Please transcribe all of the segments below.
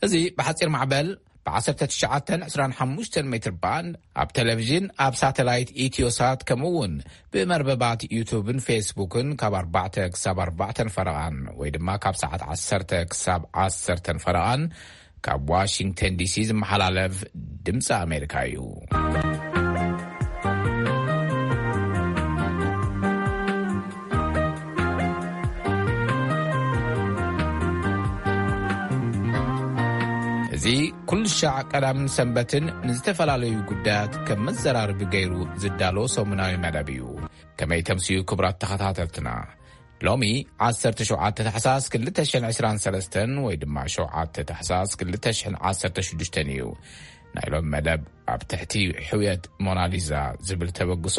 እዚ ብሓጺር ማዕበል ብ1925 ሜትር ባንድ ኣብ ቴሌቪዥን፣ ኣብ ሳተላይት ኢትዮሳት፣ ከምኡ እውን ብመርበባት ዩቱብን ፌስቡክን ካብ ኣርባዕተ ክሳብ ኣርባዕተ ፈረቓን ወይ ድማ ካብ ሰዓት ዓሰርተ ክሳብ ዓሰርተ ፈረቓን ካብ ዋሽንግተን ዲሲ ዝመሓላለፍ ድምፂ ኣሜሪካ እዩ። እዚ ኩሉ ሻዕ ቀዳምን ሰንበትን ንዝተፈላለዩ ጉዳያት ከም መዘራርቢ ገይሩ ዝዳሎ ሰሙናዊ መደብ እዩ። ከመይ ተምስዩ ክቡራት ተኸታተልትና? ሎሚ ዓሰርተ ሸውዓተ ታሕሳስ ክልተ ሽሕን ዕስራን ሰለስተን ወይ ድማ ሸውዓተ ታሕሳስ ክልተ ሽሕን ዓሰርተ ሽዱሽተን እዩ። ናይ ሎሚ መደብ ኣብ ትሕቲ ሕውየት ሞናሊዛ ዝብል ተበግሶ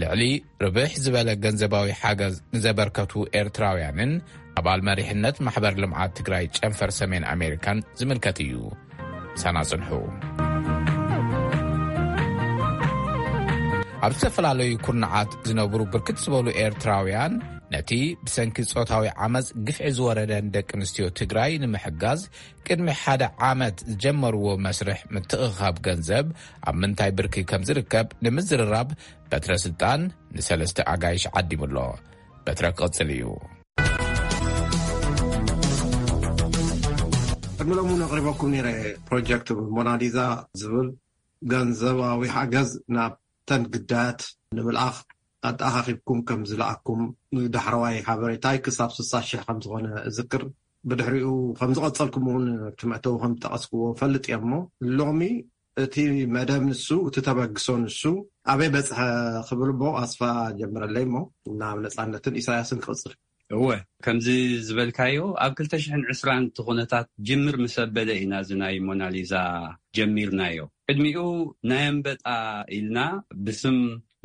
ልዕሊ ርብሕ ዝበለ ገንዘባዊ ሓገዝ ንዘበርከቱ ኤርትራውያንን ኣባል መሪሕነት ማሕበር ልምዓት ትግራይ ጨንፈር ሰሜን ኣሜሪካን ዝምልከት እዩ። ሳና ጽንሑ። ኣብ ዝተፈላለዩ ኩርናዓት ዝነብሩ ብርክት ዝበሉ ኤርትራውያን ነቲ ብሰንኪ ጾታዊ ዓመጽ ግፍዒ ዝወረደን ደቂ ኣንስትዮ ትግራይ ንምሕጋዝ ቅድሚ ሓደ ዓመት ዝጀመርዎ መስርሕ ምትእኻብ ገንዘብ ኣብ ምንታይ ብርኪ ከም ዝርከብ ንምዝርራብ በትረ ስልጣን ንሰለስተ ኣጋይሽ ዓዲሙ ኣሎ። በትረ ክቕጽል እዩ። ቅድሚ ሎሚ እውን ኣቕሪበኩም ነይረ። ፕሮጀክት ሞናሊዛ ዝብል ገንዘባዊ ሓገዝ ናብ ተን ግዳያት ንምልኣኽ ኣተኣኻኺብኩም ከም ዝለኣኩም ዳሕረዋይ ሓበሬታይ ክሳብ ስሳ ሽሕ ከም ዝኾነ እዝክር። ብድሕሪኡ ከም ዝቐጸልኩም እውን ኣብቲ መእተዊ ከም ዝጠቐስክዎ ፈልጥ እየ። እሞ ሎሚ እቲ መደብ ንሱ፣ እቲ ተበግሶ ንሱ ኣበይ በጽሐ ክብል እሞ ኣስፋ ጀምረለይ እሞ ናብ ነጻነትን ኢሳያስን ክቕጽል። እወ፣ ከምዚ ዝበልካዮ ኣብ ክልተ ሽሕን ዕስራን እቲ ኩነታት ጅምር ምስ ኣበለ ኢና እዚ ናይ ሞናሊዛ ጀሚርናዮ። ቅድሚኡ ናይ ኣንበጣ ኢልና ብስም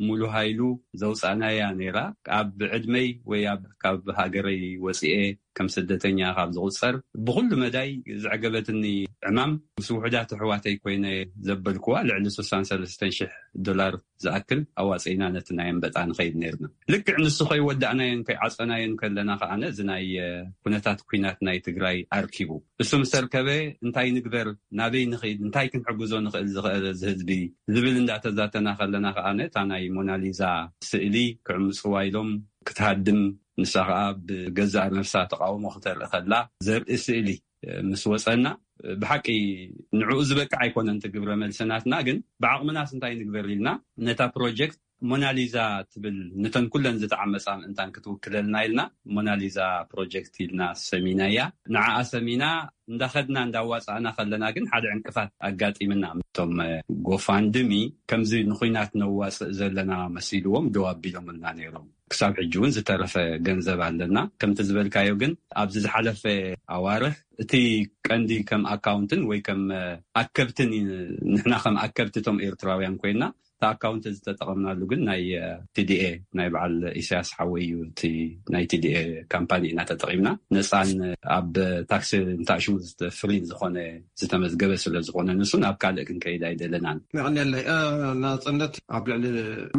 ሙሉ ሃይሉ ዘውጻእናያ ነይራ። ኣብ ዕድመይ ወይ ኣብ፣ ካብ ሃገረይ ወጺኤ ከም ስደተኛ ካብ ዝቑጸር ብኹሉ መዳይ ዘዕገበትኒ ዕማም ምስ ውሑዳት ኣሕዋተይ ኮይነ ዘበልኩዋ ልዕሊ ስሳን ሰለስተን ሽሕ ዶላር ዝኣክል ኣዋጺእና ነቲ ናይ ኣንበጣ ንኸይድ ነይርና። ልክዕ ንሱ ከይወዳእናዮን ከይዓጸናዮን ከለና ከኣ እዚ ናይ፣ እ፣ ኩነታት ኲናት ናይ ትግራይ ኣርኪቡ። እሱ ምስ ኣርከበ እንታይ ንግበር፣ ናበይ ንኸይድ፣ እንታይ ክንሕግዞ ንኽእል ዝኽእል እዚ ህዝቢ ዝብል እንዳተዛተና ከለና ከኣ እታ ናይ ሞናሊዛ ስእሊ ክዕምጽዋ ኢሎም ክትሃድም ንሳ ከኣ ብገዛእ ነፍሳ ተቃውሞ ክተርኢ ከላ ዘርኢ ስእሊ ምስ ወጸና፣ ብሓቂ ንዕኡ ዝበቅዕ ኣይኮነን እቲ ግብረ መልሲ ናትና፣ ግን ብዓቕምናስ እንታይ ንግበር ኢልና ነታ ፕሮጀክት ሞናሊዛ ትብል ነተን ኩለን ዝተዓመጻ ምእንታን ክትውክለልና ኢልና ሞናሊዛ ፕሮጀክት ኢልና ሰሚናያ። ንዓኣ ሰሚና እንዳኸድና እንዳዋጻእና ከለና ግን ሓደ ዕንቅፋት ኣጋጢምና። እቶም ጎፋንድሚ ከምዚ ንኹናት ነዋጽእ ዘለና መሲልዎም ደው ኣቢሎምልና ነይሮም። ክሳብ ሕጂ እውን ዝተረፈ ገንዘብ ኣለና። ከምቲ ዝበልካዮ ግን ኣብዚ ዝሓለፈ ኣዋርሕ እቲ ቀንዲ ከም ኣካውንትን ወይ ከም ኣከብትን፣ ንሕና ከም ኣከብቲ እቶም ኤርትራውያን ኮይና እቲ ኣካውንት ዝተጠቐምናሉ ግን ናይ፣ እ፣ ቲ ዲ ኤ ናይ በዓል ኢሳያስ ሓወይ እዩ። እቲ ናይ ቲ ዲ ኤ ካምፓኒ ኢና ተጠቒምና። ነፃን ኣብ ታክሲ እንታሽሙ ፍሪ ዝኾነ ዝተመዝገበ ስለ ዝኾነ ንሱ ናብ ካልእ ክንከይድ ኣይደለናን። የቐንየለይ። እ፣ ናጽነት ኣብ ልዕሊ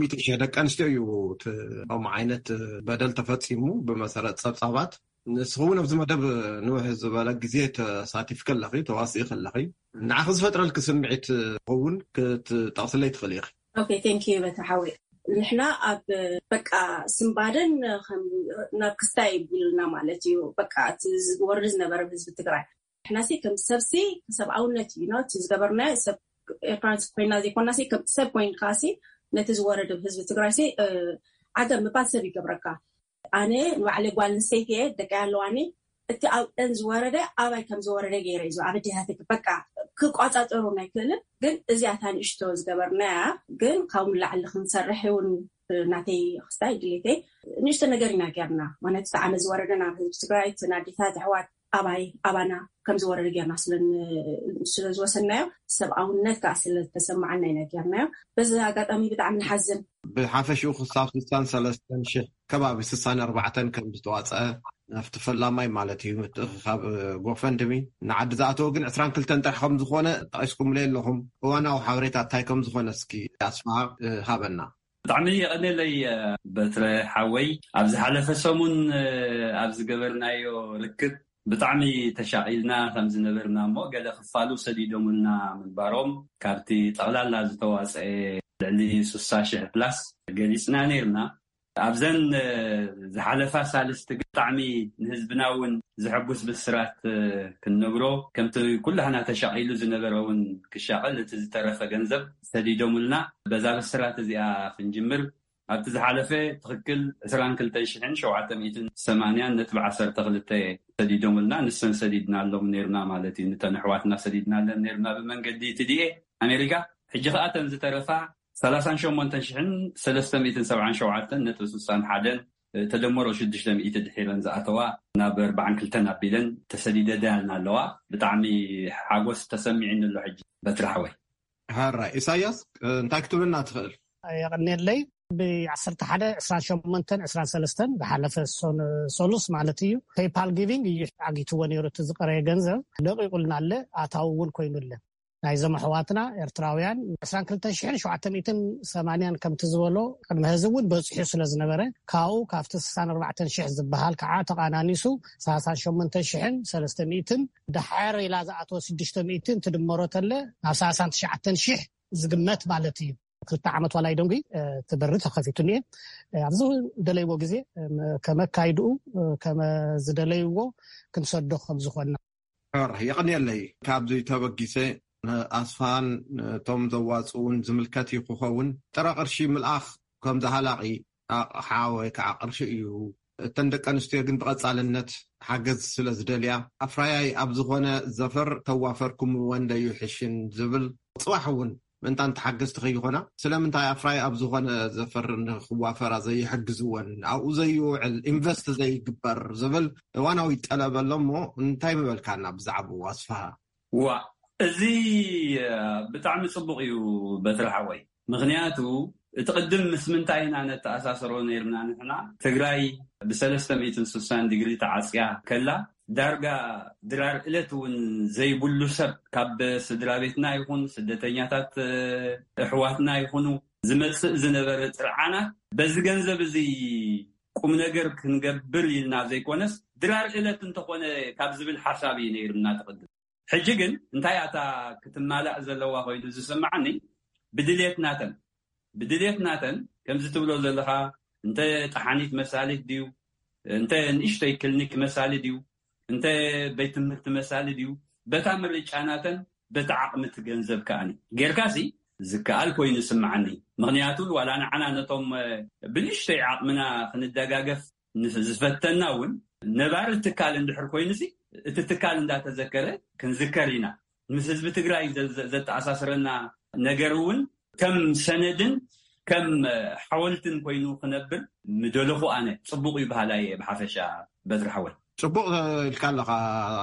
ሚእቲ ሺሕ ደቂ ኣንስትዮ እዩ እቲ ከምኡ ዓይነት በደል ተፈጺሙ ብመሰረት ጸብጻባት። ንስኺ እውን ኣብዚ መደብ ንውሕ ዝበለ ግዜ ተሳቲፍኪ ኣለኺ፣ ተዋሲእኪ ኣለኺ። ንዓኺ ዝፈጥረልኪ ስምዒት እውን ክትጠቕስለይ ትኽእሊ ኢኺ። ኦኬ፣ ቴንክ ዩ በታ ሓወይ። ንሕና ኣብ በቃ ስንባደን ከም ናብ ክስታይ ይብሉና ማለት እዩ። በቃ እቲ ዝወርድ ዝነበረ ህዝቢ ትግራይ ንሕናሲ ከም ሰብሲ ሰብኣውነት እዩ ነው እቲ ዝገበርናዮ። ሰብ ኤርትራውያን ኮይና ዘይኮናሲ ከም ሰብ ኮይንካሲ ነቲ ዝወረደ ህዝቢ ትግራይሲ፣ እ፣ ዓገብ ምባል ሰብ ይገብረካ። ኣነ ንባዕለይ ጓል ኣንስተይቲ እየ፣ ደቀይ ኣለዋኒ። እቲ ኣብአን ዝወረደ ኣባይ ከም ዝወረደ ገይረ እዩ ኣብ ኣዴታተይ በቃ ክቋጻጸሩ ኣይክእልን። ግን እዚኣ እታ ንእሽቶ ዝገበርናያ ግን ካብኡ ንላዕሊ ክንሰርሕ እውን ናተይ ክስታይ ድሌተይ ንእሽቶ ነገር ኢና ጌርና። ማለት እቲ ዓመት ዝወረደ ናብ ህዝቢ ትግራይ፣ እቲ ናዴታት ኣሕዋት ኣባይ ኣባና ከም ዝወረደ ጌርና ስለ ን-፣ ስለ ዝወሰናዮ፣ ሰብኣውነት ከዓ ስለ ዝተሰማዓና ኢና ጌርናዮ። በዚ ኣጋጣሚ ብጣዕሚ ንሓዝን። ብሓፈሽኡ ክሳብ ስሳን ሰለስተን ሽሕ ከባቢ ስሳን ኣርባዕተን ከም ዝተዋፀአ ናብቲ ፈላማይ ማለት እዩ ምትእኽኻብ ጎፈንድሚ ንዓዲ ዝኣተወ ግን ዕስራን ክልተን ጥራሕ ከም ዝኾነ ጠቒስኩምለይ ኣለኹም። እዋናዊ ሓበሬታ እንታይ ከም ዝኾነ እስኪ ኣስፍሃ፣ እ፣ ሃበና። ብጣዕሚ የቐኔለይ፣ እ፣ በትረ ሓወይ። ኣብ ዝሓለፈ ሰሙን፣ እ፣ ኣብ ዝገበርናዮ ርክብ ብጣዕሚ ተሻቒልና ከም ዝነበርና እሞ፣ ገለ ክፋሉ ሰዲዶምልና ምንባሮም፣ ካብቲ ጠቕላላ ዝተዋፀኤ ልዕሊ ስሳ ሽሕ ፕላስ ገሊፅና ነይርና። ኣብዘን ዝሓለፋ ሳልስቲ ብጣዕሚ ንህዝብና እውን ዘሐጉስ ብስራት ክንነግሮ፣ ከምቲ ኩላህና ተሻቒሉ ዝነበረ እውን ክሻቐል፣ እቲ ዝተረፈ ገንዘብ ሰዲዶምልና። በዛ ብስራት እዚኣ ክንጅምር፣ ኣብቲ ዝሓለፈ ትኽክል ዕስራን ክልተን ሽሕን ሸውዓተ ሚእትን ሰማንያን ነጥቢ ዓሰርተ ክልተ ሰዲዶምልና፣ ንሰን ሰዲድናሎም ነይርና ማለት እዩ። ንተን ኣሕዋትና ሰዲድናለን ነይርና ብመንገዲ ቲ ዲ ኤ ኣሜሪካ። ሕጂ ከኣ እተን ዝተረፋ ሰላሳን ሸሞንተን ሽሕን ሰለስተ ሚእትን ሰብዓን ሸውዓተን ነጥቢ ስሳን ሓደን፣ ተደመሮ ሽዱሽተ ሚእቲ ድሒረን ዝኣተዋ፣ ናብ ኣርባዓን ክልተን ኣቢለን ተሰዲደዳልና ኣለዋ። ብጣዕሚ ሓጎስ ተሰሚዕኒ ኣሎ ሕጂ በትሪ ሓወይ። ሃራ ኢሳያስ፣ እንታይ ክትብልና ትኽእል? የቐንየለይ። ብ ዓሰርተ ሓደ፣ ዕስራን ሸሞንተን፣ ዕስራን ሰለስተን ዝሓለፈ ሶን-፣ ሶሉስ ማለት እዩ፣ ፔይፓል ጊቪንግ እዩ ዓጊትዎ ነይሩ። እቲ ዝቐረየ ገንዘብ ለቂቑልና ኣለ፣ ኣታዊ እውን ኮይኑ ኣለ። ናይዞም ኣሕዋትና ኤርትራውያን ዕስራን ክልተን ሽሕን ሸውዓተ ሚእትን ሰማንያን ከምቲ ዝበሎ ቅድሚ ሕዚ እውን በፂሑ ስለ ዝነበረ፣ ካብኡ ካብቲ ስሳን ኣርባዕተን ሽሕ ዝበሃል ከዓ ተቓናኒሱ ሰላሳን ሸሞንተን ሽሕን ሰለስተ ሚእትን፣ ድሓር ኢላ ዝኣተወ ሽዱሽተ ሚእትን ትድመሮ ተለ ናብ ሰላሳን ትሽዓተን ሽሕ ዝግመት ማለት እዩ። ክልተ ዓመት ዋላ ይደንጉ፣ እ፣ እቲ በሪ ተኸፊቱ እኒኤ። እ፣ ኣብዚ ዝደለይዎ ግዜ፣ እ፣ ከመ ኣካይድኡ፣ እ፣ ከመ ዝደለይዎ ክንሰዶ ከም ዝኾንና። ሕር፣ የቐንየለይ። ካብዚ ተበጊሰ፣ ንኣስፋን ነቶም ዘዋጽኡን ዝምልከት እዩ ክኸውን። ጥረ ቅርሺ ምልኣኽ ከም ዝሃላቒ ኣቕሓ ወይ ከዓ ቅርሺ እዩ። እተን ደቂ ኣንስትዮ ግን ብቐጻልነት ሓገዝ ስለ ዝደልያ፣ ኣፍራያይ ኣብ ዝኾነ ዘፈር ተዋፈርኩምወን ደዩ ሕሽን ዝብል ጽባሕ እውን ምእንታን ተሓገዝቲ ከይኾና፣ ስለምንታይ ኣፍራይ ኣብ ዝኾነ ዘፈር ንኽዋፈራ ዘይሕግዝወን፣ ኣብኡ ዘይውዕል ኢንቨስት ዘይግበር ዝብል እዋናዊ ጠለብ ኣሎ እሞ፣ እንታይ ምበልካና ብዛዕባኡ ኣስፍሃ? ዋ፣ እዚ፣ እ፣ ብጣዕሚ ጽቡቕ እዩ በትሪ ሓወይ። ምኽንያቱ፣ እቲ ቅድም ምስ ምንታይ ኢና ነተኣሳስሮ ነይርና ንሕና? ትግራይ ብሰለስተ ሚእትን ስሳን ዲግሪ ተዓጽያ ከላ፣ ዳርጋ ድራር ዕለት እውን ዘይብሉ ሰብ፣ ካብ ስድራ ቤትና ይኹን ስደተኛታት፣ እ፣ ኣሕዋትና ይኹኑ፣ ዝመጽእ ዝነበረ ጥርዓናት፣ በዚ ገንዘብ እዚ ቁም ነገር ክንገብር ኢልና ዘይኮነስ፣ ድራር ዕለት እንተኾነ ካብ ዝብል ሓሳብ እዩ ነይርና ትቕድም። ሕጂ ግን እንታይ ኣታ ክትማላእ ዘለዋ ኮይኑ ዝስምዓኒ፣ ብድልየት ናተን፣ ብድልየት ናተን፣ ከምዚ ትብሎ ዘለኻ፣ እንተ ጠሓኒት መሳሊት ድዩ፣ እንተ ንእሽተይ ክሊኒክ መሳሊ ድዩ፣ እንተ ቤት ትምህርቲ መሳሊ ድዩ፣ በታ ምርጫ ናተን፣ በቲ ዓቕሚ እቲ ገንዘብ ከኣኒ ጌርካሲ ዝከኣል ኮይኑ ይስምዓኒ። ምኽንያቱ ዋላ ንዓና ነቶም፣ እ፣ ብንእሽተይ ዓቕምና ክንደጋገፍ ንስ-፣ ዝፈተና እውን ነባሪ ትካል እንድሕር ኮይኑሲ፣ እቲ ትካል እንዳተዘከረ ክንዝከር ኢና። ምስ ህዝቢ ትግራይ ዘ-፣ ዘ-፣ ዘተኣሳስረና ነገር እውን ከም ሰነድን ከም፣ እ፣ ሓወልትን ኮይኑ ክነብር ምደለኹ ኣነ። ጽቡቕ እዩ በሃላይ እየ ብሓፈሻ በትሪ ሓወይ። ጽቡቕ ኢልካ ኣለኻ፣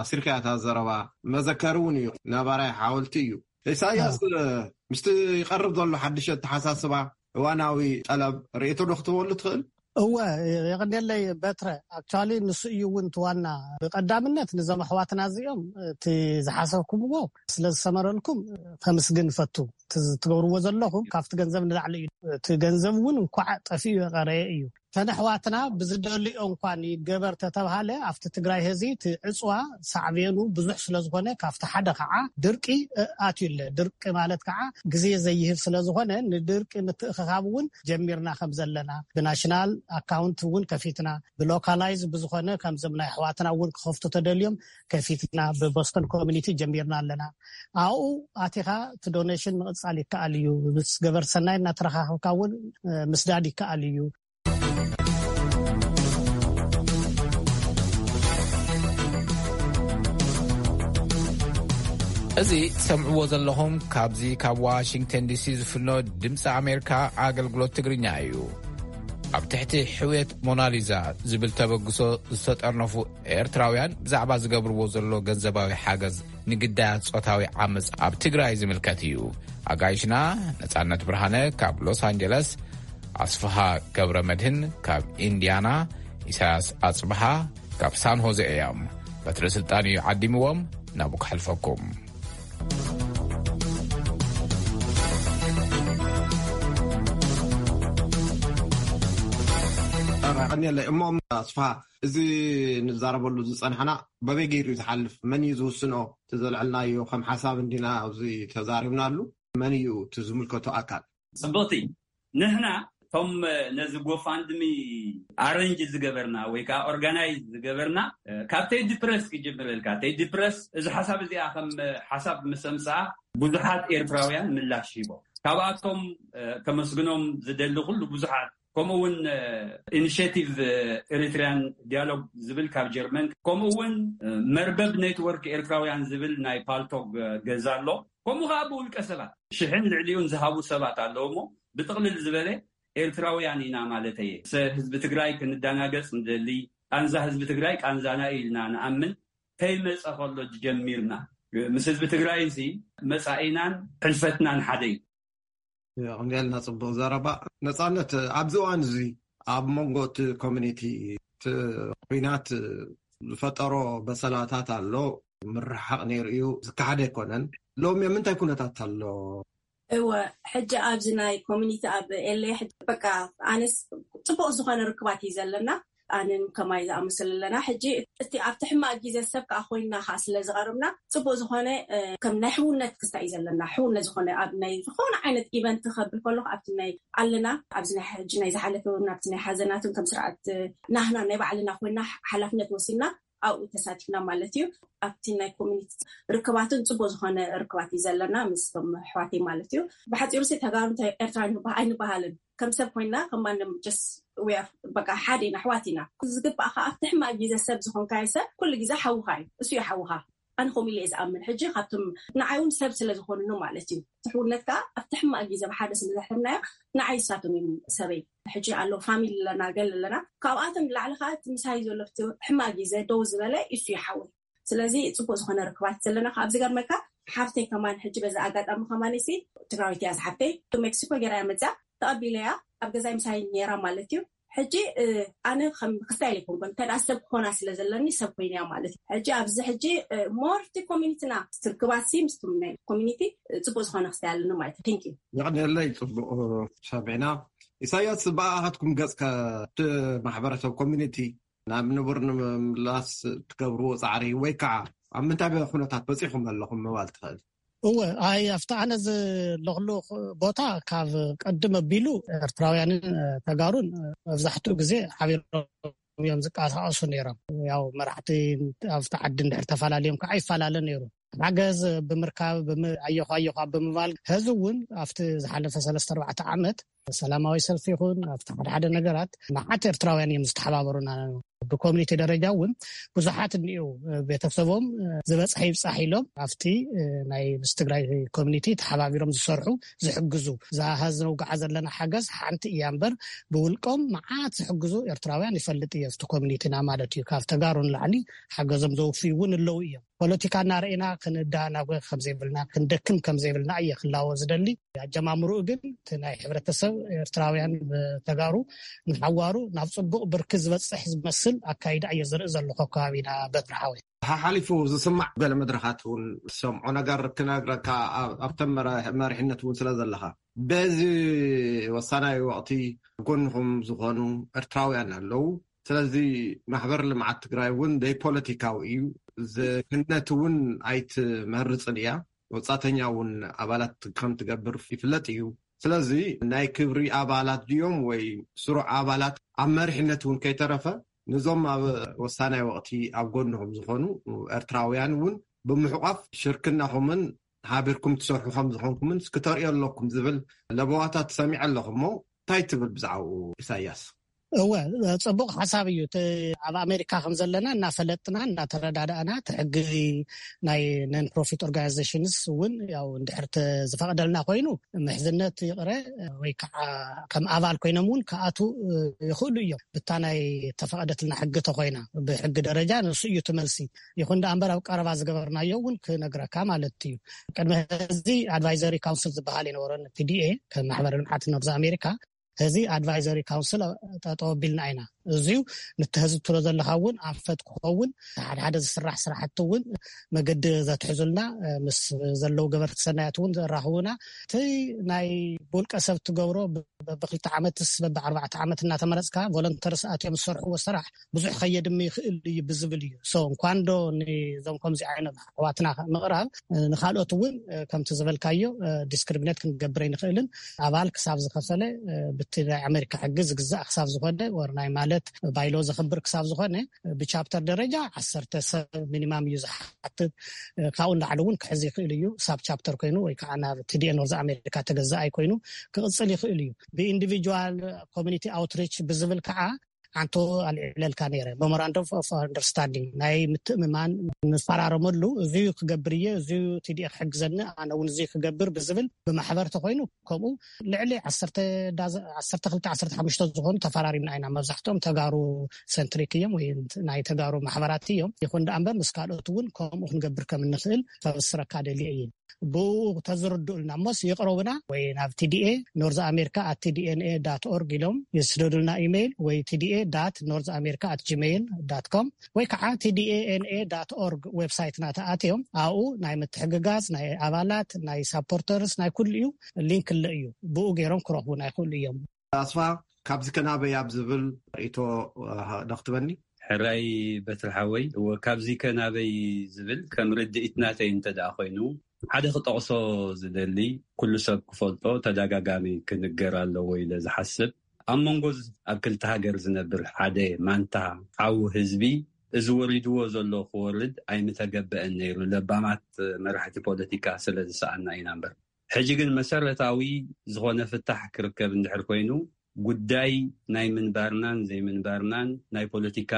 ኣሲርካያ እታ ዘረባ። መዘከሪ እውን እዩ፣ ነባራይ ሓወልቲ እዩ። ኢሳያስ፣ ምስቲ ይቐርብ ዘሎ ሓድሽ ኣተሓሳስባ፣ እዋናዊ ጠለብ ርእይቶ ዶ ክትህበሉ ትኽእል? እወ፣ የቐንየለይ በትረ። ኣክቹዋሊ ንሱ እዩ እውን እቲ ዋና። ብቐዳምነት ንዞም ኣሕዋትና እዚኦም እቲ ዝሓሰብኩምዎ ስለ ዝሰመረልኩም ከምስግን እፈቱ። እቲ ትገብርዎ ዘለኹም ካብቲ ገንዘብ ንላዕሊ እዩ። እቲ ገንዘብ እውን እንኳዕ ጠፊኡ የቐረየ እዩ። እተን ኣሕዋትና ብዝደልዮ እንኳን ይገበር ተተብሃለ፣ ኣብቲ ትግራይ ህዚ እቲ ዕፅዋ ሳዕቤኑ ብዙሕ ስለ ዝኾነ፣ ካብቲ ሓደ ከዓ ድርቂ፣ እ፣ ኣትዩ ኣሎ። ድርቂ ማለት ከዓ ግዜ ዘይህብ ስለ ዝኾነ፣ ንድርቂ ምትእኽኻብ እውን ጀሚርና ከም ዘለና፣ ብናሽናል ኣካውንት እውን ከፊትና፣ ብሎካላይዝ ብዝኾነ ከምዞም ናይ ኣሕዋትና እውን ክኸፍቱ ተደልዮም ከፊትና፣ ብቦስተን ኮሚኒቲ ጀሚርና ኣለና። ኣብኡ ኣቲኻ እቲ ዶኔሽን ምቕፃል ይከኣል እዩ። ምስ ገበርቲ ሰናይ እናተረኻኸብካ እውን፣ እ፣ ምስዳድ ይከኣል እዩ። እዚ ትሰምዕዎ ዘለኹም ካብዚ ካብ ዋሽንግተን ዲ ሲ ዝፍኖ ድምፂ ኣሜሪካ ኣገልግሎት ትግርኛ እዩ። ኣብ ትሕቲ ሕውየት ሞናሊዛ ዝብል ተበግሶ ዝተጠርነፉ ኤርትራውያን ብዛዕባ ዝገብርዎ ዘሎ ገንዘባዊ ሓገዝ ንግዳያት ጾታዊ ዓመጽ ኣብ ትግራይ ዝምልከት እዩ። ኣጋይሽና ነጻነት ብርሃነ ካብ ሎስ ኣንጀለስ፣ ኣስፍሃ ገብረ መድህን ካብ ኢንድያና፣ ኢሳያስ ኣጽብሃ ካብ ሳን ሆዜ እዮም። በትረ ስልጣን እዩ ዓዲምዎም፣ ናብኡ ከሕልፈኩም። ቀኒለይ። እሞ ኣስፋ፣ እዚ ንዛረበሉ ዝጸናሕና በበይ ገይሩ እዩ ዝሓልፍ? መን እዩ ዝውስኖ? እቲ ዘልዐልናዮ ከም ሓሳብ እንዲና ኣብዚ ተዛሪብናሉ። መን እዩ እቲ ዝምልከቶ ኣካል? ጽብቕቲ። ንሕና እቶም ነዚ ጎፋንድሚ ኣረንጅ ዝገበርና ወይ ከዓ ኦርጋናይዝ ዝገበርና፣ ካብ ቴዲ ፕረስ ክጅምረልካ። ቴዲ ፕረስ እዚ ሓሳብ እዚኣ ከም ሓሳብ ምስ ኣምፅኣ፣ ብዙሓት ኤርትራውያን ምላሽ ሂቦም። ካብኣቶም ከመስግኖም ዝደሊ ኩሉ ብዙሓት፣ ከምኡ እውን ኢኒሽቲቭ ኤሪትሪያን ዲያሎግ ዝብል ካብ ጀርመን፣ ከምኡ እውን መርበብ ኔትወርክ ኤርትራውያን ዝብል ናይ ፓልቶግ ገዛ ኣሎ። ከምኡ ከዓ ብውልቀ ሰባት ሽሕን ልዕሊኡን ዝሃቡ ሰባት ኣለዉ። እሞ ብጥቕልል ዝበለ ኤርትራውያን ኢና ማለት እየ። ህዝቢ ትግራይ ክንዳናገጽ ንደሊ፣ ቃንዛ ህዝቢ ትግራይ ቃንዛና እዩ ኢልና ንኣምን። ከይመጸ ከሎ ጀሚርና፣ ምስ ህዝቢ ትግራይ እዚ መጻኢናን ሕልፈትናን ሓደ እዩ። የቕንየልና። ጽቡቕ ዘረባ። ነጻነት፣ ኣብዚ እዋን እዚ ኣብ መንጎ እቲ ኮሚኒቲ እቲ ኲናት ዝፈጠሮ በሰላታት ኣሎ። ምርሕሓቕ ነይሩ እዩ፣ ዝከሓደ ኣይኮነን። ሎሚ ኣብ ምንታይ ኩነታት ኣሎ? እወ፣ ሕጂ ኣብዚ ናይ ኮሚኒቲ ኣብ ኤሌ በቃ ኣነስ ጽቡቕ ዝኾነ ርክባት እዩ ዘለና። ኣንን ከማይ ዝኣመሰለ ኣለና። ሕጂ እቲ ኣብቲ ሕማቕ ግዜ ሰብ ከዓ ኮይና ከዓ ስለ ዝቐርብና፣ ጽቡቕ ዝኾነ ከም ናይ ሕውነት ክስታይ እዩ ዘለና። ሕውነት ዝኾነ ኣብ ናይ ዝኾነ ዓይነት ኢቨንት ክኸብል ከለኹ ኣብቲ ናይ ኣለና ኣብዚ ናይ ሕጂ ናይ ዝሓለፈ እውን ኣብቲ ናይ ሓዘናትን ከም ስርዓት ናህና ናይ ባዕልና ኮይና ሓላፍነት ወሲድና ኣብኡ ተሳቲፍና ማለት እዩ። ኣብቲ ናይ ኮሚኒቲ ርክባትን ጽቡቕ ዝኾነ ርክባት እዩ ዘለና ምስቶም ኣሕዋተይ ማለት እዩ። ብሓጺሩ ሲ ተጋሩ እንታይ ኤርትራ ንበሃ- ኣይንበሃልን። ከም ሰብ ኮይና ከም ማንም ጀስ በቃ ሓደ ኢና፣ ኣሕዋት ኢና። ዝግባእ ከዓ ኣብቲ ሕማቕ ግዜ ሰብ ዝኾንካዮ ሰብ ኩሉ ግዜ ሓውኻ እዩ፣ እሱ እዩ ሓውኻ። ኣነ ከምኡ ኢለ እየ ዝኣምን። ሕጂ ካብቶም ንዓይ እውን ሰብ ስለ ዝኾኑኒ ማለት እዩ። ትሕውነት ከዓ ኣብቲ ሕማቕ ግዜ ብሓደ ስለ ዘሕለፍናዮ ንዓይ እሳቶም እዮም ሰበይ። ሕጂ ኣሎ ፋሚሊ ኣለና፣ ገል ኣለና። ካብኣቶም ንላዕሊ ከዓ እቲ ምሳይ ዘሎ ኣብቲ ሕማቕ ግዜ ደው ዝበለ እሱ እዩ ሓወይ። ስለዚ ጽቡቕ ዝኾነ ርክባት ዘለና። ካብ ዝገርመካ ሓፍተይ ከማን ሕጂ በዚ ኣጋጣሚ ከማን ሲ ትግራዊት እያ ዝሓፍተይ፣ ሜክሲኮ ገይራ እያ መፅያ፣ ተቐቢለያ ኣብ ገዛይ ምሳይ ነይራ ማለት እዩ። ሕጂ ኣነ ከም ክስታይ ኣይኮንኩን፣ እንተ ደኣ ሰብ ክኾና ስለ ዘለኒ ሰብ ኮይነ እያ ማለት እዩ። ሕጂ ኣብዚ ሕጂ ሞር እቲ ኮሚኒቲና ርክባት ሲ ምስቱም ናይ ኮሚኒቲ ጽቡቕ ዝኾነ ክስታይ ኣለኒ ማለት እዩ። ቴንክ ዩ። የቐንየለይ። ጽቡቕ ሰሚዕና። ኢሳያስ፣ ብኣኻትኩም ገጽ ከ እቲ ማሕበረሰብ ኮሚኒቲ ናብ ንቡር ንምምላስ ትገብርዎ ጻዕሪ ወይ ከዓ ኣብ ምንታይ ኩነታት በጺኹም ኣለኹም ምባል ትኽእል? እወ፣ ኣይ፣ ኣብቲ ኣነ ዘለኽሉ ቦታ ካብ ቀድም ኣቢሉ ኤርትራውያንን ተጋሩን መብዛሕትኡ ግዜ ሓቢሮም እዮም ዝቀሳቀሱ ነይሮም። ያው መራሕቲ ኣብቲ ዓዲ እንድሕር ተፈላለዮም ከዓ ይፈላለ ነይሩ። ሓገዝ ብምርካብ፣ ብም-፣ ኣየኹ ኣየኹ ኣብ ብምባል፣ ሕዚ እውን ኣብቲ ዝሓለፈ ሰለስተ ኣርባዕተ ዓመት ሰላማዊ ሰልፊ ይኹን ኣብቲ ሓደ ሓደ ነገራት መዓት ኤርትራውያን እዮም ዝተሓባበሩና። ብኮሚኒቲ ደረጃ እውን ብዙሓት እኒኡ፣ ቤተሰቦም ዝበፅሐ ይብፃሕ ኢሎም ኣብቲ ናይ ምስ ትግራይ ኮሚኒቲ ተሓባቢሮም ዝሰርሑ ዝሕግዙ። እዛ ሀዚ ነውግዓ ዘለና ሓገዝ ሓንቲ እያ እምበር ብውልቆም መዓት ዝሕግዙ ኤርትራውያን ይፈልጥ እየ። ኣብቲ ኮሚኒቲና ማለት እዩ። ካብ ተጋሩ ንላዕሊ ሓገዞም ዘውፍዩ እውን ኣለዉ እዮም። ፖለቲካ እናረኢና ክንዳናጎ ከምዘይብልና፣ ክንደክም ከምዘይብልና እየ ክላዎ ዝደሊ። ኣጀማምርኡ ግን እቲ ናይ ሕብረተሰብ ኤርትራውያን ብተጋሩ ንሓዋሩ ናብ ጽቡቕ ብርኪ ዝበጽሕ ዝመስል ኣካይዳ እየ ዝርኢ ዘለኹ ኣብ ከባቢና በትሪ ሓወይ። ሓሓሊፉ ዝስማዕ ገለ መድረኻት እውን ዝሰምዖ ነገር ክነግረካ፣ ኣብ፣ ኣብተን መራ-፣ መሪሕነት እውን ስለ ዘለኻ፣ በዚ ወሳናይ ወቕቲ ጎንኹም ዝኾኑ ኤርትራውያን ኣለዉ። ስለዚ ማሕበር ልምዓት ትግራይ እውን ዘይፖለቲካዊ እዩ። ዝክነት እውን ኣይትመርፅን እያ። ወፃተኛ እውን ኣባላት ከም ትገብር ይፍለጥ እዩ። ስለዚ ናይ ክብሪ ኣባላት ድዮም ወይ ስሩዕ ኣባላት ኣብ መሪሕነት እውን ከይተረፈ፣ ነዞም ኣብ ወሳናይ ወቕቲ ኣብ ጎንኹም ዝኾኑ ኤርትራውያን እውን ብምሕቋፍ ሽርክናኹምን ሓቢርኩም ትሰርሑ ከም ዝኾንኩምን ክትርእዮ ኣለኩም ዝብል ለበዋታት ሰሚዐ ኣለኹ። እሞ እንታይ ትብል ብዛዕባኡ ኢሳያስ? እወ፣ ጽቡቕ ሓሳብ እዩ። እቲ ኣብ ኣሜሪካ ከም ዘለና እናፈለጥና እናተረዳዳእና፣ እቲ ሕጊ ናይ ነን ፕሮፊት ኦርጋናይዜሽንስ እውን ያው እንድሕር ተ-፣ ዝፈቕደልና ኮይኑ ምሕዝነት ይቕረ ወይ ከዓ ከም ኣባል ኮይኖም እውን ክኣትዉ ይኽእሉ እዮም። ብታ ናይ ተፈቐደትልና ሕጊ ተኮይና፣ ብሕጊ ደረጃ ንሱ እዩ እቲ መልሲ። ይኹን ደኣ እምበር ኣብ ቀረባ ዝገበርናዮ እውን ክነግረካ ማለት እዩ። ቅድሚ ሕዚ ኣድቫይዘሪ ካውንስል ዝበሃል የነበረን ፒ ዲ ኤ ከም ማሕበር ልምዓት ኖርዝ ኣሜሪካ። ሕዚ ኣድቫይዘሪ ካውንስል ጠጠው ኣቢልና ኢና። እዚዩ ንተህዝብ ትሎ ዘለኻ እውን ኣንፈት ክኸውን፣ ሓደ ሓደ ዝስራሕ ስራሕቲ እውን መገዲ ዘትሕዙልና፣ እ፣ ምስ ዘለዉ ገበርቲ ሰናያት እውን ዘራኽቡና። እቲ ናይ ብውልቀ ሰብ ትገብሮ ብ-፣ በብክልተ ዓመትስ በብኣርባዕተ ዓመት እናተመረፅካ ቮለንተርስ ኣትዮም ዝሰርሕዎ ስራሕ ብዙሕ ከየድሚ ይኽእል እዩ ብዝብል እዩ። ሶ እንኳን ዶ ንዞም ከምዚ ዓይነት ኣሕዋትና ምቕራብ፣ እ፣ ንኻልኦት እውን፣ እ፣ ከምቲ ዝበልካዮ፣ እ፣ ዲስክሪሚኔት ክንገብር ኣይንኽእልን። ኣባል ክሳብ ዝኸፈለ፣ እ፣ ብቲ ናይ ኣሜሪካ ሕጊ ዝግዛእ ክሳብ ዝኾነ፣ ወር ናይ ማለት ባይሎ ዘኽብር ክሳብ ዝኾነ፣ እ፣ ብቻፕተር ደረጃ ዓሰርተ ሰብ ሚኒማም እዩ ዝሓትት። እ፣ ካብኡ ንላዕሊ እውን ክሕዝ ይኽእል እዩ። ሳብ ቻፕተር ኮይኑ ወይ ከዓ ናብ ቲ ዲ ኤ ኖርዝ ኣሜሪካ ተገዛኣይ ኮይኑ ክቕፅል ይኽእል እዩ። ብኢንዲቪጁዋል ኮሚኒቲ ኣውትሪች ብዝብል ከዓ ሓንቲ ኣልዒለልካ ነይረ። መሞራንደም ኦፍ ኣንደርስታንዲንግ፣ ናይ ምትእምማን ንፈራረመሉ፣ እዚ ክገብር እየ፣ እዚ ቲ ዲ ኤ ክሕግዘኒ፣ ኣነ እውን እዚ ክገብር ብዝብል ብማሕበር ተኮይኑ፣ ከምኡ ልዕሊ ዓሰርተ ዳዘ-፣ ዓሰርተ ክልተ፣ ዓሰርተ ሓሙሽተ ዝኾኑ ተፈራሪምና ኢና። መብዛሕትኦም ተጋሩ ሰንትሪክ እዮም ወይ ናይ ተጋሩ ማሕበራት እዮም። ይኹን ደኣ እምበር ምስ ካልኦት እውን ከምኡ ክንገብር ከም እንኽእል ከብስረካ ደልየ እየ። ብኡ ተዝርድኡልና እሞስ ይቕረቡና ወይ ናብ ቲ ዲ ኤ ኖርዝ ኣሜሪካ ኣት ቲ ዲ ኤን ኤ ዳት ኦርግ ኢሎም ይስደዱልና ኢሜይል ወይ ቲ ዲ ኤ ዳት ኖርዝ ኣሜሪካ ኣት ጂሜይል ዳት ኮም ወይ ከዓ ቲ ዲ ኤ ኤን ኤ ዳት ኦርግ ዌብሳይትና ተኣትዮም ኣብኡ ናይ ምትሕግጋዝ ናይ ኣባላት ናይ ሳፖርተርስ ናይ ኩሉ እዩ ሊንክ ኣሎ እዩ። ብኡ ገይሮም ክረኽቡና ይኽእሉ እዮም። ኣስፋ፣ ካብዚ ከናበይ ኣብ ዝብል ርእይቶ፣ እ፣ ዶ ክትበኒ? ሕራይ በትሪ ሓወይ፣ እወ፣ ካብዚ ከናበይ ዝብል ከም ርድኢት ናተይ እንተ ደኣ ኮይኑ፣ ሓደ ክጠቕሶ ዝደሊ፣ ኩሉ ሰብ ክፈልጦ፣ ተደጋጋሚ ክንገር ኣለዎ ኢለ ዝሓስብ፣ ኣብ መንጎ ዝ-፣ ኣብ ክልተ ሃገር ዝነብር ሓደ ማንታ ሓው ህዝቢ፣ እዚ ወሪድዎ ዘሎ ክወርድ ኣይምተገበአን ነይሩ፣ ለባማት መራሕቲ ፖለቲካ ስለ ዝሰኣና ኢና እምበር። ሕጂ ግን መሰረታዊ ዝኾነ ፍታሕ ክርከብ እንድሕር ኮይኑ፣ ጉዳይ ናይ ምንባርናን ዘይምንባርናን ናይ ፖለቲካ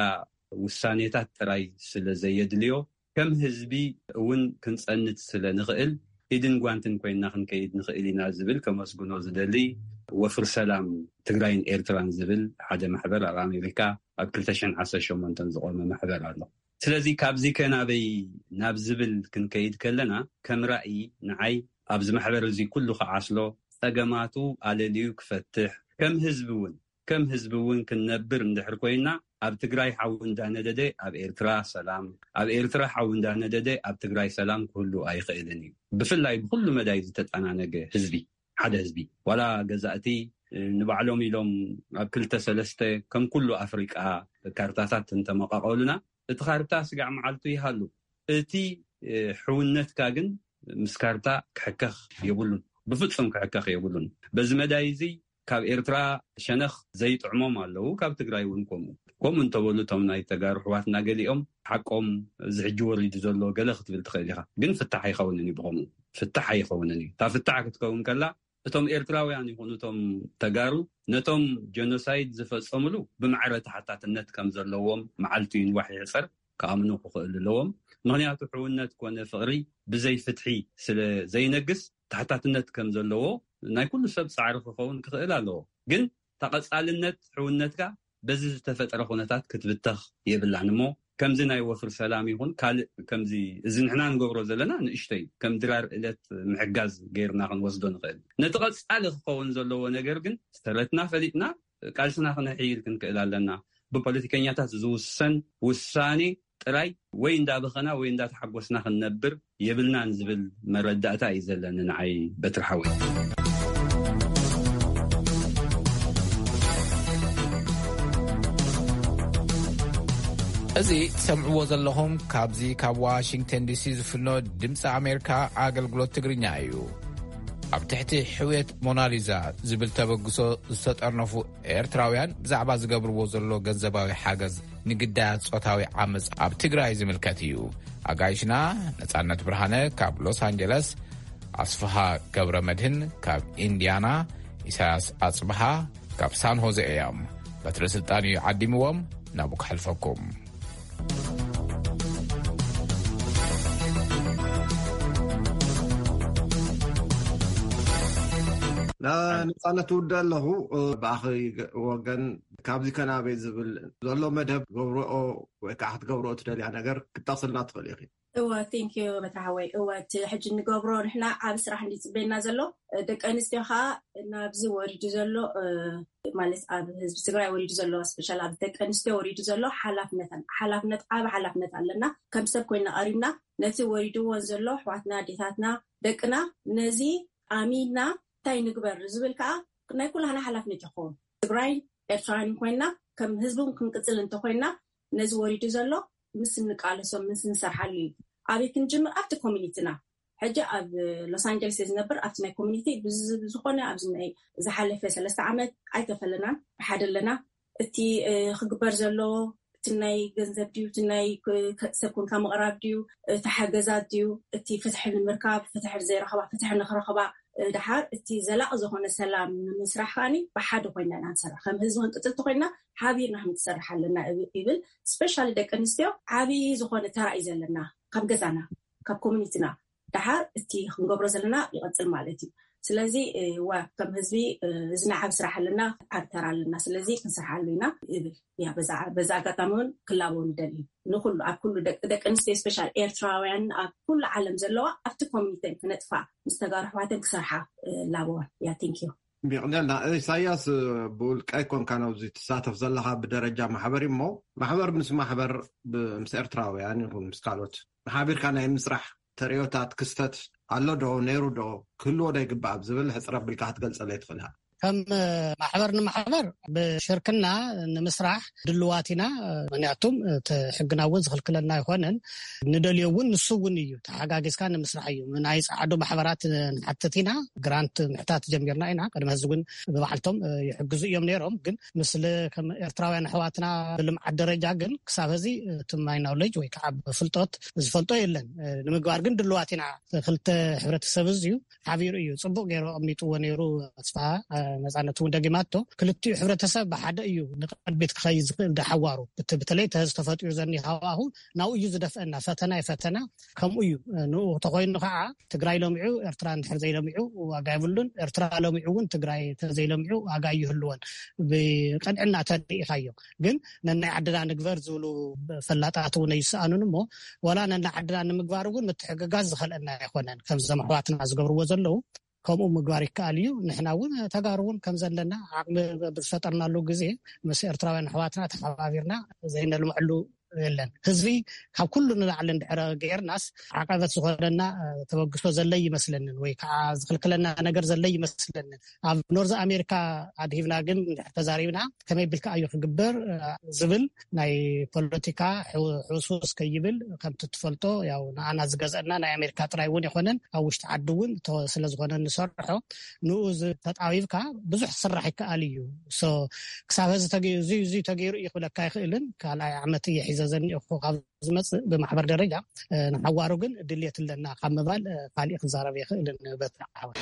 ውሳኔታት ጥራይ ስለ ዘየድልዮ፣ ከም ህዝቢ እውን ክንጸንት ስለ ንኽእል፣ ኢድን ጓንትን ኮይንና ክንከይድ ንኽእል ኢና ዝብል ከመስግኖ ዝደሊ፣ ወፍር ሰላም ትግራይን ኤርትራን ዝብል ሓደ ማሕበር ኣብ ኣሜሪካ ኣብ ክልተ ሽሕን ዓሰርተ ሸሞንተን ዝቖመ ማሕበር ኣሎ። ስለዚ ካብዚ ከናበይ ናብ ዝብል ክንከይድ ከለና፣ ከም ራእይ ንዓይ ኣብዚ ማሕበር እዚ ኩሉ ክዓስሎ፣ ጸገማቱ ኣለልዩ ክፈትሕ፣ ከም ህዝቢ እውን፣ ከም ህዝቢ እውን ክንነብር እንድሕር ኮይና፣ ኣብ ትግራይ ሓዊ እንዳነደደ ኣብ ኤርትራ ሰላም፣ ኣብ ኤርትራ ሓዊ እንዳነደደ ኣብ ትግራይ ሰላም ክህሉ ኣይኽእልን እዩ። ብፍላይ ብኩሉ መዳይ ዝተጠናነገ ህዝቢ፣ ሓደ ህዝቢ፣ ዋላ ገዛእቲ፣ እ፣ ንባዕሎም ኢሎም ኣብ ክልተ ሰለስተ ከም ኩሉ ኣፍሪቃ ካርታታት እንተመቃቀሉና፣ እቲ ካርታ ስጋዕ መዓልቱ ይሃሉ። እቲ፣ እ፣ ሕውነትካ ግን ምስ ካርታ ክሕከኽ የብሉን። ብፍጹም ክሕከኽ የብሉን። በዚ መዳይ እዚ ካብ ኤርትራ ሸነኽ ዘይጥዕሞም ኣለዉ፣ ካብ ትግራይ እውን ከምኡ። ከምኡ እንተበሉ እቶም ናይ ተጋሩ ኣሕዋትና ገሊኦም ሓቆም እዚ ሕጂ ወሪዱ ዘሎ ገለ ክትብል ትኽእል ኢኻ። ግን ፍታሕ ኣይኸውንን እዩ ብኸምኡ። ፍታሕ ኣይኸውንን እዩ። እታ ፍታሕ ክትከውን ከላ እቶም ኤርትራውያን ይኹኑ እቶም ተጋሩ ነቶም ጀኖሳይድ ዝፈጸሙሉ ብማዕረ ተሓታትነት ከም ዘለዎም መዓልቱ ይንዋሕ ይሕጸር ክኣምኑ ክኽእሉ ኣለዎም። ምኽንያቱ ሕውነት ኮነ ፍቕሪ ብዘይ ፍትሒ ስለ ዘይነግስ ተሓታትነት ከም ዘለዎ ናይ ኩሉ ሰብ ጻዕሪ ክኸውን ክኽእል ኣለዎ። ግን ተቐጻልነት ሕውነትካ በዚ ዝተፈጠረ ኩነታት ክትብተኽ የብላን እሞ ከምዚ ናይ ወፍር ሰላም ይኹን ካልእ ከምዚ እዚ ንሕና ንገብሮ ዘለና ንእሽተይ ከም ድራር እለት ምሕጋዝ ገይርና ክንወስዶ ንኽእል። ነቲ ቀጻሊ ክኸውን ዘለዎ ነገር ግን ሰረትና ፈሊጥና ቃልስና ክነሕይል ክንክእል ኣለና። ብፖለቲከኛታት ዝውሰን ውሳኔ ጥራይ ወይ እንዳበኸና ወይ እንዳተሓጎስና ክንነብር የብልናን ዝብል መረዳእታ እዩ ዘለኒ ንዓይ በትሪ ሓወይ። እዚ ትሰምዕዎ ዘለኹም ካብዚ ካብ ዋሽንግተን ዲ ሲ ዝፍኖ ድምፂ ኣሜሪካ ኣገልግሎት ትግርኛ እዩ። ኣብ ትሕቲ ሕውየት ሞናሊዛ ዝብል ተበግሶ ዝተጠርነፉ ኤርትራውያን ብዛዕባ ዝገብርዎ ዘሎ ገንዘባዊ ሓገዝ ንግዳያት ጾታዊ ዓመጽ ኣብ ትግራይ ዝምልከት እዩ። ኣጋይሽና ነጻነት ብርሃነ ካብ ሎስ ኣንጀለስ፣ ኣስፍሃ ገብረ መድህን ካብ ኢንዲያና፣ ኢሳያስ ኣጽብሃ ካብ ሳን ሆዜ እዮም። በትረ ስልጣን እዩ ዓዲምዎም፣ ናብኡ ክሓልፈኩም። ነጻነት ትውደ ኣለኹ። ብኣኺ ወገን ካብዚ ከናበይ ዝብል ዘሎ መደብ ገብረኦ ወይ ከዓ ክትገብረኦ ትደልያ ነገር ክትጠቕስልና ትኽእል ኢኺ። እወ፣ thank you በትሪ ሓወይ። እወ፣ እቲ ሕጂ እንገብሮ ንሕና ዓቢ ስራሕ እንዲ ጽበየና ዘሎ፣ ደቂ ኣንስትዮ ከዓ ናብዚ ወሪዱ ዘሎ፣ ማለት ኣብ ህዝቢ ትግራይ ወሪዱ ዘሎ፣ ስፔሻል ኣብ ደቂ ኣንስትዮ ወሪዱ ዘሎ ሓላፍነት ኣለ። ሓላፍነት፣ ዓቢ ሓላፍነት ኣለና። ከም ሰብ ኮይና ቀሪብና ነቲ ወሪድዎን ዘሎ ኣሕዋትና፣ ኣዴታትና፣ ደቅና ነዚ ኣሚንና እንታይ ንግበር ዝብል ከዓ ናይ ኩላህና ሓላፍነት ይኸውን። ትግራይ ኤርትራውያን ኮይና ከም ህዝቢ እውን ክንቅጽል እንተኮይና ነዚ ወሪዱ ዘሎ ምስ እንቃለሶ፣ ምስ እንሰርሓሉ እዩ። ኣበይ ክንጅምር? ኣብቲ ኮሚኒቲና። ሕጂ ኣብ ሎስ ኣንጀለስ እየ ዝነብር። ኣብቲ ናይ ኮሚኒቲ ብዝ-፣ ብዝኾነ ኣብዚ ናይ ዝሓለፈ ሰለስተ ዓመት ኣይተፈለናን፣ ብሓደ ኣለና። እቲ፣ እ፣ ክግበር ዘሎ፣ እቲ ናይ ገንዘብ ድዩ፣ እቲ ናይ ክ-፣ ከ-፣ ሰብ ኮንካ ምቕራብ ድዩ፣ እቲ ሓገዛት ድዩ፣ እቲ ፍትሒ ንምርካብ፣ ፍትሒ ዘይረኸባ ፍትሒ ንኽረኸባ፣ እ፣ ደሓር እቲ ዘላቒ ዝኾነ ሰላም ንምስራሕ ከኣኒ ብሓደ ኮይና ኢና ንሰርሕ። ከም ህዝቢ ክንቅጽል እንተኮይና ሓቢርና ክንሰርሕ ኣለና እብ-፣ ይብል። ስፔሻሊ ደቂ ኣንስትዮ ዓብዪ ዝኾነ ተራ እዩ ዘለና ካብ ገዛና፣ ካብ ኮሚኒቲና። ደሓር እቲ ክንገብሮ ዘለና ይቐጽል ማለት እዩ። ስለዚ፣ እ፣ ዋ፣ ከም ህዝቢ፣ እ፣ እዚ ናይ ዓቢ ስራሕ ኣለና፣ ዓቢ ተራ ኣለና። ስለዚ ክንሰርሓሉ ኢና ይብል። ያ፣ በዛ፣ በዛ ኣጋጣሚ እውን ክላበው ንደሊ። ንኹሉ፣ ኣብ ኩሉ ደቂ፣ ደቂ ኣንስትዮ ስፔሻል ኤርትራውያን ኣብ ኩሉ ዓለም ዘለዋ ኣብቲ ኮሚኒቲን ክነጥፋ ምስ ተጋሩ ኣሕዋተን ክሰርሓ፣ እ፣ ላበወን። ያ፣ thank you። የቕንየልና። ኢሳያስ፣ ብውልቀ ኣይኮንካን ኣብዚ ትሳተፍ ዘለኻ ብደረጃ ማሕበር እዩ እሞ፣ ማሕበር ምስ ማሕበር ብ-፣ ምስ ኤርትራውያን ይኹን ምስ ካልኦት ሓቢርካ ናይ ምስራሕ ተርእዮታት ክስተት ኣሎ ዶ፣ ነይሩ ዶ፣ ክህልዎ ዶ ይግባእ ኣብ ዝብል ሕጽር ኣቢልካ ክትገልጸለይ ትኽእል ኢኻ? ከም ማሕበር ንማሕበር ብሽርክና ንምስራሕ ድልዋት ኢና። ምክንያቱም እቲ ሕግና እውን ዝኽልክለና ኣይኮነን። ንደልዮ እውን ንሱ እውን እዩ። ተሓጋጊዝካ ንምስራሕ እዩ። ናይ ጻዕዱ ማሕበራት ንሓትት ኢና። ግራንት ምሕታት ጀሚርና ኢና። ቅድሚ ሕዚ እውን ብባዕልቶም ይሕግዙ እዮም ነይሮም። ግን ምስለ ከም ኤርትራውያን ኣሕዋትና ብልምዓት ደረጃ ግን ክሳብ ሕዚ እቲ ማይ ናውሌጅ ወይ ከዓ ብፍልጦት ዝፈልጦ የለን። ንምግባር ግን ድልዋት ኢና። ክልተ ሕብረተሰብ እዚ እዩ ሓቢሩ እዩ። ጽቡቕ ገይሩ ኣቐሚጥዎ ነይሩ። ኣስፍሃ፣ እ፣ ነጻነት እውን ደጊማቶ። ክልቲኡ ሕብረተሰብ ብሓደ እዩ ንቕድሚት ክኸይድ ዝኽእል። ደሓዋሩ እቲ በተለይ እቲ ሕዚ ተፈጢሩ ዘኒ ሃዋሁ ናብኡ እዩ ዝደፍአና። ፈተና እዩ ፈተና። ከምኡ እዩ። እ፣ ንኡ ተኾይኑ ከዓ ትግራይ ለሚዑ፣ ኤርትራ እንድሕር ዘይለሚዑ ዋጋ የብሉን። ኤርትራ ለሚዑ እውን ትግራይ ተዘይለሚዑ ዋጋ ይህልወን። ብቀንዕና ተሪኢኻዮ። ግን ነናይ ዓድና ንግበር ዝብሉ ፈላጣት እውን ኣይሰኣኑን እሞ፣ ዋላ ነናይ ዓድና ንምግባር እውን ምትሕግጋዝ ዝኸልአና ኣይኮነን። ከምዞም ኣሕዋትና ዝገብርዎ ዘለዉ ከምኡ ምግባር ይከኣል እዩ። ንሕና እውን ተጋሩ እውን ከም ዘለና ዓቕሚ ብዝፈጠርናሉ ግዜ ምስ ኤርትራውያን ኣሕዋትና ተሓባቢርና ዘይነልምዐሉ የለን። ህዝቢ ካብ ኩሉ ንላዕሊ እንድሕረ ገይርናስ ዓቐበት ዝኾነና፣ እ፣ ተበግሶ ዘለ ይመስለንን ወይ ከዓ ዝኽልክለና ነገር ዘለ ይመስለንን። ኣብ ኖርዝ ኣሜሪካ ኣድሂብና ግን እንድሕር ተዛሪብና ከመይ ቢልካ እዩ ክግበር፣ እ፣ ዝብል ናይ ፖለቲካ ሕው-፣ ሕውስውስ ከይብል ከምቲ ትፈልጦ ያው ንኣና ዝገዝአና ናይ ኣሜሪካ ጥራይ እውን የኾነን ኣብ ውሽጢ ዓዲ እውን ተ-፣ ስለ ዝኾነ ንሰርሖ ንኡ ዝ-፣ ተጣቢብካ ብዙሕ ክስራሕ ይከኣል እዩ። ሶ ክሳብ ሕዚ ተገ-፣ እዚ፣ እዚ ተገይሩ እዩ ክብለካ ኣይኽእልን። ካልኣይ ዓመት እየ ሒዘ ዘኒኦኹ ካብ ዝመጽእ ብማሕበር ደረጃ፣ እ፣ ንሓዋሩ ግን ድልየት ኣለና ካብ ምባል፣ እ፣ ካሊእ ክዛረብ ይኽእልን በትሪ ሓወይ።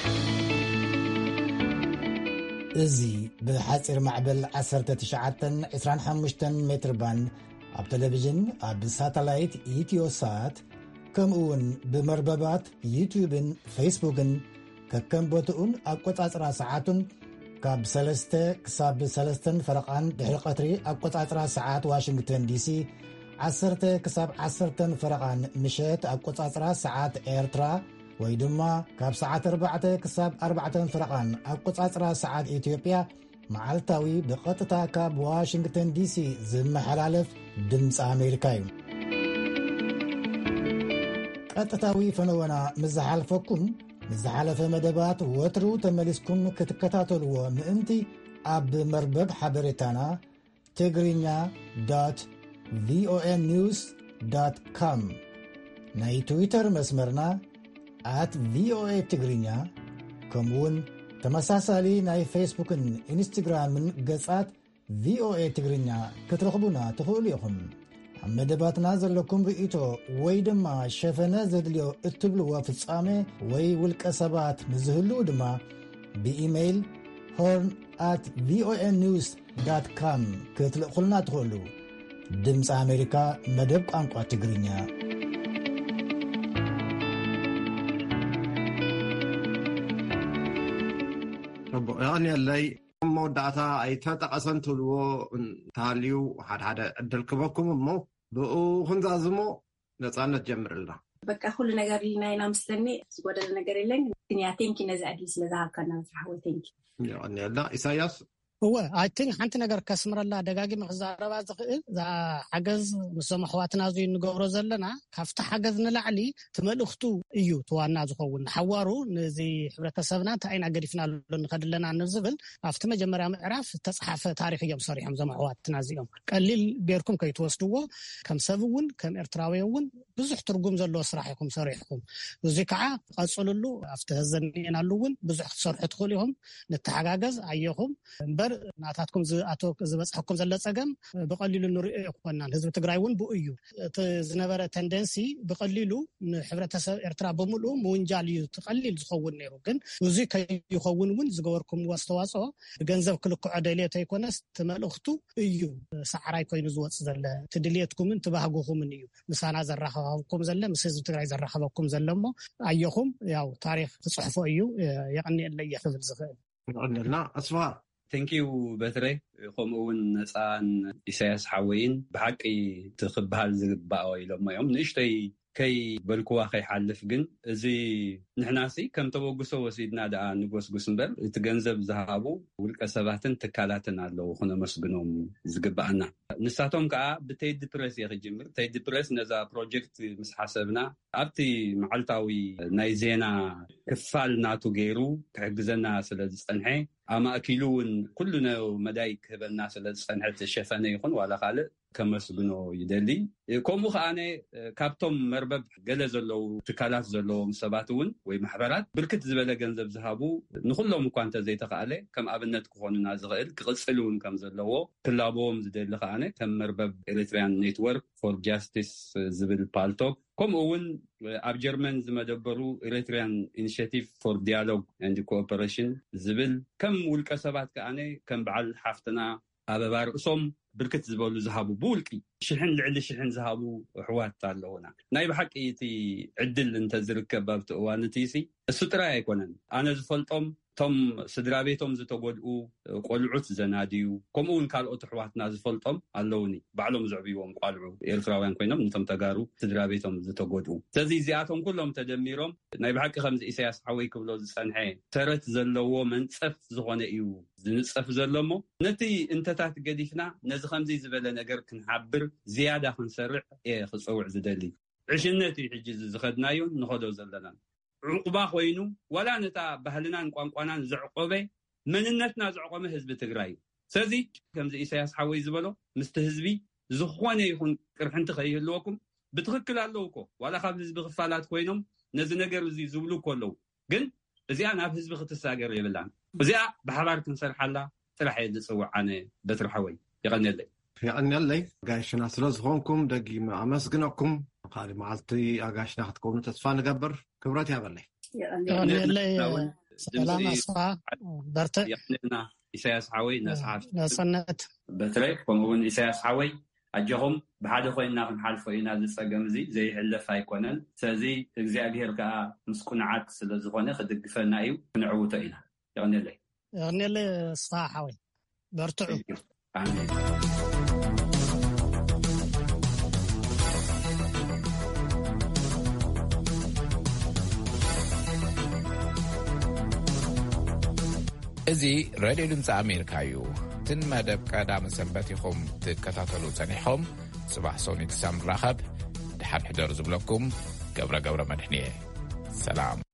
እዚ ብሓጺር ማዕበል ዓሰርተ ትሽዓተን ዕስራን ሓሙሽተን ሜትር ባንድ ኣብ ቴሌቪዥን፣ ኣብ ሳተላይት ኢትዮሳት፣ ከምኡ እውን ብመርበባት ዩትዩብን ፌስቡክን ከከም ቦትኡን ኣቆጻጽራ ሰዓቱን ካብ ሰለስተ ክሳብ ሰለስተን ፈረቓን ድሕሪ ቀትሪ ኣቆጻጽራ ሰዓት ዋሽንግተን ዲሲ፣ ዓሰርተ ክሳብ ዓሰርተን ፈረቓን ምሸት ኣቆጻጽራ ሰዓት ኤርትራ፣ ወይ ድማ ካብ ሰዓት ኣርባዕተ ክሳብ ኣርባዕተን ፈረቓን ኣቆጻጽራ ሰዓት ኢትዮጵያ፣ መዓልታዊ ብቐጥታ ካብ ዋሽንግተን ዲሲ ዝመሓላለፍ ድምፂ ኣሜሪካ እዩ። ቀጥታዊ ፈነወና ምስ ዝሓልፈኩም፣ ምስ ዝሓለፈ መደባት ወትሩ ተመሊስኩም ክትከታተልዎ ምእንቲ፣ ኣብ መርበብ ሓበሬታና ትግርኛ ዶት ቪኦኤ ኒውስ ዶት ኮም፣ ናይ ትዊተር መስመርና ኣት ቪኦኤ ትግርኛ፣ ከምኡውን ተመሳሳሊ ናይ ፌስቡክን ኢንስትግራምን ገጻት ቪኦኤ ትግርኛ ክትረኽቡና ትኽእሉ ኢኹም። ኣብ መደባትና ዘለኩም ርእይቶ ወይ ድማ ሸፈነ ዘድልዮ እትብልዎ ፍጻሜ ወይ ውልቀ ሰባት ምስ ዝህልዉ ድማ ብኢሜይል ሆርን ኣት ቪኦኤ ኒውስ ዳት ካም ክትልእኹልና ትኽእሉ። ድምፂ ኣሜሪካ፣ መደብ ቋንቋ ትግርኛ። ጽቡቕ፣ የቐንየለይ። ኣብ መወዳእታ ኣይተጠቐሰን ትብልዎ እንተሃልዩ፣ ሓደ ሓደ ዕድል ክበኩም እሞ፣ ብኡ ክንዛዝሞ። ነፃነት ጀምርልና። በቃ፣ ኩሉ ነገር ኢልና ኢና ምስለኒ፣ ዝጎደለ ነገር የለን። ግን ያ፣ ቴንኪ ነዚ ዕድል ስለ ዝሃብካና፣ በትሪ ሓወይ፣ ቴንኪ። የቐንየልና። ኢሳያስ? እወ፣ ኣይ ቲንክ ሓንቲ ነገር ከስምረላ፣ ደጋጊመ ክዛረባ ዝኽእል፣ እዛ ሓገዝ ምስ ዞም ኣሕዋትና እዚ እንገብሮ ዘለና፣ ካብቲ ሓገዝ ንላዕሊ እቲ መልእኽቱ እዩ እቲ ዋና ዝኸውን። ንሓዋሩ ነዚ ሕብረተሰብና እንታይ ኢና ገዲፍናሉ ንኸድ ኣለና ንዝብል፣ ኣብቲ መጀመርያ ምዕራፍ ዝተፅሓፈ ታሪኽ እዮም ሰሪሖም ዞም ኣሕዋትና እዚኦም። ቀሊል ጌርኩም ከይትወስድዎ፣ ከም ሰብ እውን፣ ከም ኤርትራዊ እውን ብዙሕ ትርጉም ዘለዎ ስራሕ ኢኹም ሰሪሕኩም። እዚ ከዓ ቀፅልሉ፣ ኣብቲ ህዘ እኒኤናሉ እውን ብዙሕ ክትሰርሑ ትኽእሉ ኢኹም። ንተሓጋገዝ፣ ኣየኹም። እምበር ናታትኩም ዝኣቶ-፣ ዝበፅሐኩም ዘሎ ፀገም ብቐሊሉ ንሪኦ ኣይኮናን። ህዝቢ ትግራይ እውን ብኡ እዩ። እቲ ዝነበረ ተንደንሲ ብቐሊሉ ንሕብረተሰብ ኤርትራ ብምልኡ ምውንጃል እዩ እቲ ቀሊል ዝኸውን ነይሩ። ግን እዚ ከይኸውን እውን ዝገበርኩምዎ ኣስተዋፅኦ ብገንዘብ ክልክዖ ደልየት ኣይኮነስ፣ እቲ መልእኽቱ እዩ ሰዓራይ ኮይኑ ዝወፅእ ዘሎ። እቲ ድልየትኩምን እቲ ባህግኹምን እዩ ምሳና ዘራኸበኩም ዘሎ፣ ምስ ህዝቢ ትግራይ ዘራኸበኩም ዘሎ እሞ፣ ኣየኹም፣ ያው ታሪኽ ትፅሕፎ እዩ። የቐንየለይ እየ ክብል ዝኽእል። ይቐንየልና። ኣስፋ። ቴንኪዩ በትረ፣ ከምኡ እውን ነፃን ኢሳያስ ሓወይን ብሓቂ እቲ ክበሃል ዝግባኦ ኢሎሞ እዮም። ንእሽተይ ከይበልክዋ ከይሓልፍ ግን፣ እዚ ንሕናሲ ከም ተበግሶ ወሲድና ደኣ ንጎስጉስ እምበር፣ እቲ ገንዘብ ዝሃቡ ውልቀ ሰባትን ትካላትን ኣለዉ ክነመስግኖም ዝግብኣና። ንሳቶም ከዓ ብቴዲ ፕረስ እየ ክጅምር። ቴዲ ፕረስ ነዛ ፕሮጀክት ምስ ሓሰብና፣ ኣብቲ መዓልታዊ ናይ ዜና ክፋል ናቱ ገይሩ ክሕግዘና ስለ ዝጸንሐ፣ ኣማእኪሉ እውን ኩሉ ነ-፣ መዳይ ክህበና ስለ ዝጸንሐ፣ እቲ ሸፈነ ይኹን ዋላ ካልእ ከመስግኖ ይደሊ። ከምኡ ከኣነ ካብቶም መርበብ ገለ ዘለዉ ትካላት ዘለዎም ሰባት እውን ወይ ማሕበራት ብርክት ዝበለ ገንዘብ ዝሃቡ፣ ንኹሎም እኳ እንተዘይተኻእለ ከም ኣብነት ክኾኑና ዝኽእል ክቕጽል እውን ከም ዘለዎ ክላበዎም ዝደሊ ከኣነ ከም መርበብ ኤሪትሪያን ኔትወርክ ፎር ጃስቲስ ዝብል ፓልቶክ፣ ከምኡ እውን ኣብ ጀርመን ዝመደበሩ ኤሪትሪያን ኢኒሽቲቭ ፎር ዲያሎግ ኤንድ ኮኦፐሬሽን ዝብል፣ ከም ውልቀ ሰባት ከኣነ ከም በዓል ሓፍትና ኣበባ ርእሶም ብርክት ዝበሉ ዝሃቡ፣ ብውልቂ ሽሕን ልዕሊ ሽሕን ዝሃቡ ኣሕዋት ኣለዉና። ናይ ብሓቂ እቲ ዕድል እንተዝርከብ ኣብቲ እዋን እቲ ሲ፣ እሱ ጥራይ ኣይኮነን። ኣነ ዝፈልጦም፣ እቶም ስድራ ቤቶም ዝተጎድኡ ቆልዑት ዘናድዩ፣ ከምኡ እውን ካልኦት ኣሕዋትና ዝፈልጦም ኣለውኒ። ባዕሎም ዘዕብይዎም ቋልዑ ኤርትራውያን ኮይኖም፣ ነቶም ተጋሩ ስድራ ቤቶም ዝተጎድኡ። ስለዚ እዚኣቶም ኩሎም ተደሚሮም፣ ናይ ብሓቂ ከምዚ ኢሳያስ ሓወይ ክብሎ ዝጸንሐ፣ ተረት ዘለዎ መንጸፍ ዝኾነ እዩ ዝንጸፍ ዘሎ እሞ፣ ነቲ እንተታት ገዲፍና፣ ነዚ ከምዚ ዝበለ ነገር ክንሓብር፣ ዝያዳ ክንሰርዕ እየ ክጸውዕ ዝደሊ። ዕሽነት እዩ ሕጂ እዚ ዝኸድናዮን ንኸዶ ዘለናን። ዕቑባ ኮይኑ፣ ዋላ ነታ ባህልናን ቋንቋናን ዘዕቆበ፣ መንነትና ዘዕቆመ ህዝቢ ትግራይ እዩ። ስለዚ ከምዚ ኢሳያስ ሓወይ ዝበሎ፣ ምስቲ ህዝቢ ዝኾነ ይኹን ቅርሕንቲ ከይህልወኩም፣ ብትኽክል ኣለዉ እኮ፣ ዋላ ካብ ህዝቢ ክፋላት ኮይኖም ነዚ ነገር እዚ ዝብሉ እኮ ኣለዉ። ግን እዚኣ ናብ ህዝቢ ክትሳገር የብላን። እዚኣ ብሓባር ክንሰርሓላ ጥራሕ እየ ዝጽውዕ ኣነ በትሪ ሓወይ። የቐንየለይ። የቐንየለይ። ጋይሽና ስለ ዝኾንኩም ደጊመ ኣመስግነኩም። ካልእ መዓልቲ ኣጋሽና ክትከውኑ ተስፋ ንገብር። ክብረት ያበለይ። የቐንየለይ። ሰላም ድምፂ ኣስፋ፣ በርትዕ። የቐንየልና ኢሳያስ ሓወይ፣ ነስሓት። ነፃነት። በትረ፣ ከምኡ እውን ኢሳያስ ሓወይ፣ ኣጆኹም፣ ብሓደ ኮይንና ክንሓልፎ ኢና። እዚ ጸገም እዚ ዘይሕለፍ ኣይኮነን። ስለዚ እግዚኣብሄር ከኣ ምስ ቁኑዓት ስለ ዝኾነ ክድግፈና እዩ፣ ክንዕውቶ ኢና። የቐንየለይ። የቐንየለይ ኣስፋ ሓወይ፣ በርትዑ። ኣሜን። እዚ ሬድዮ ድምፂ ኣሜሪካ እዩ። እትን መደብ ቀዳመ ሰንበት ኢኹም ትከታተሉ ጸኒሕኹም። ጽባሕ ሰኑይ ክሳብ ንራኸብ፣ ደሓን ሕደሩ ዝብለኩም ገብረ ገብረ መድሕን እየ። ሰላም።